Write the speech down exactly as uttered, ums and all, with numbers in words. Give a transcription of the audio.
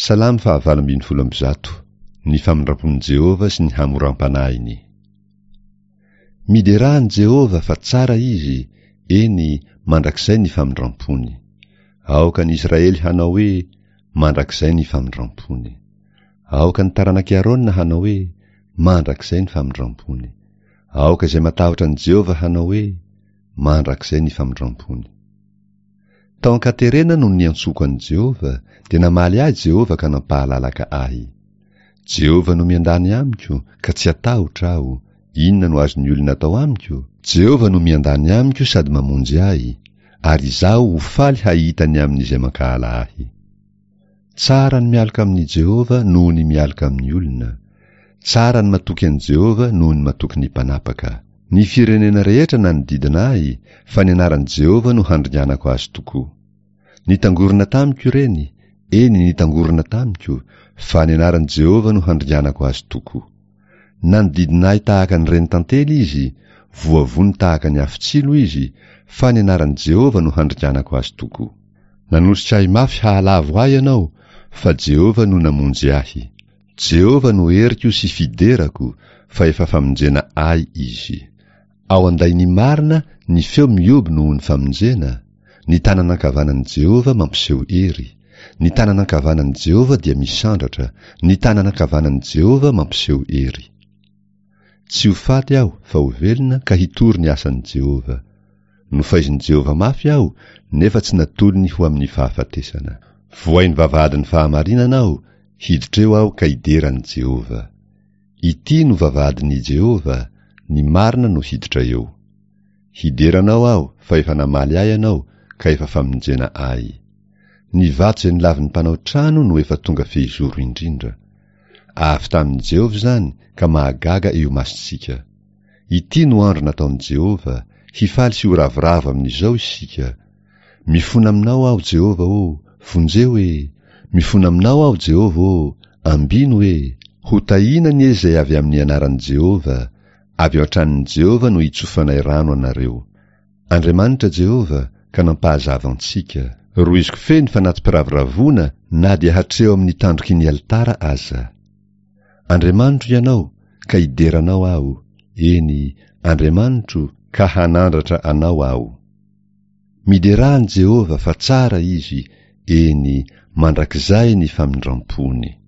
Salamo fahavalo ambin'ny folo amby zato. Ny famindram-pon'i Jehovah sy ny hamoram-panahiny. Miderà an'i Jehovah fa tsara izy, eny, mandrakizay ny famindram-pony. Aoka ny Israely hanao hoe, mandrakizay ny famindram-pony. Aoka ny taranak'i Arona hanao hoe, mandrakizay ny famindram-pony. Aoka izay matahotra an'i Jehovah hanao hoe, mandrakizay ny famindram-pony. Tao an-katerena no niantsoko an'i Jehovah, dia namaly ahy Jehovah ka nampahalalaka ahy. Jehovah no miandany amiko, ka tsy atahotra aho. Inona no azon'ny olona atao amiko? Jehovah no miandany amiko sady mamonjy ahy, ary izaho ho faly hahita ny amin'izay mankahala ahy. Tsara ny mialoka amin'i Jehovah noho ny mialoka amin'ny olona. Tsara ny matoky an'i Jehovah noho ny matoky ny mpanapaka. Ny firenena rehetra nanodidina ahy, fa ny anaran'i Jehovah no handringanako azy tokoa. Nitangorona tamiko ireny, eny nitangorona tamiko, fa ny anaran'i Jehovah no handringanako azy tokoa. Nanodidina ahy tahaka ny reny tantely izy, voavono tahaka ny afo-tsilo izy, fa ny anaran'i Jehovah no handringanako azy tokoa. Nanosika ahy mafy hahalavo ahy ianao, fa Jehovah no namonjy ahy. Jehovah no heriko sy fiderako, fa efa famonjena ahy izy. Ao an-dain'ny marina ny feo mihoby noho ny famonjena, ny tanana ankavanan'i Jehovah mampiseho hery. Ny tanana ankavanan'i Jehovah dia misandratra, ny tanana ankavanan'i Jehovah mampiseho hery. Tsy ho faty aho fa ho velona ka hitory ny asan'i Jehovah. Nofaizin'i Jehovah mafy aho, nefa tsy natolony ho amin'ny fahafatesana. Vohain'ny vavahadin'ny fahamarinana aho, hiditra eo aho ka hidera an'i Jehovah. Ity no vavahadin'i Jehovah, ny marina no hiditra eo. Hidera anao aho fa efa namaly ahy ianao ka efa famonjena ahy. Ny vato izay nolavin'ny mpanao trano no efa tonga fehizoro indrindra. Avy tamin'i Jehovah izany ka mahagaga eo imasontsika. Ity no andro nataon'i Jehovah, hifaly sy ho ravoravo amin'izao isika. Mifona aminao aho Jehovah ô, vonjeo e! Mifona aminao aho Jehovah ô, ambino e! Ho tahiana anie izay avy amin'ny anaran'i Jehovah, avy ao an-tranon'i Jehovah no hitsofanay rano anareo. Andriamanitra Jehovah ka nampahazava antsika. Rohiziko feno fanati-piravoravoana na dia hatreo amin'ny tandroky ny alitara aza. Andriamanitro ianao, ka hidera anao aho, eny, Andriamanitro, ka hanandratra anao aho. Miderà an'i Jehovah fa tsara izy, eny, mandrakizay ny famindram-pony.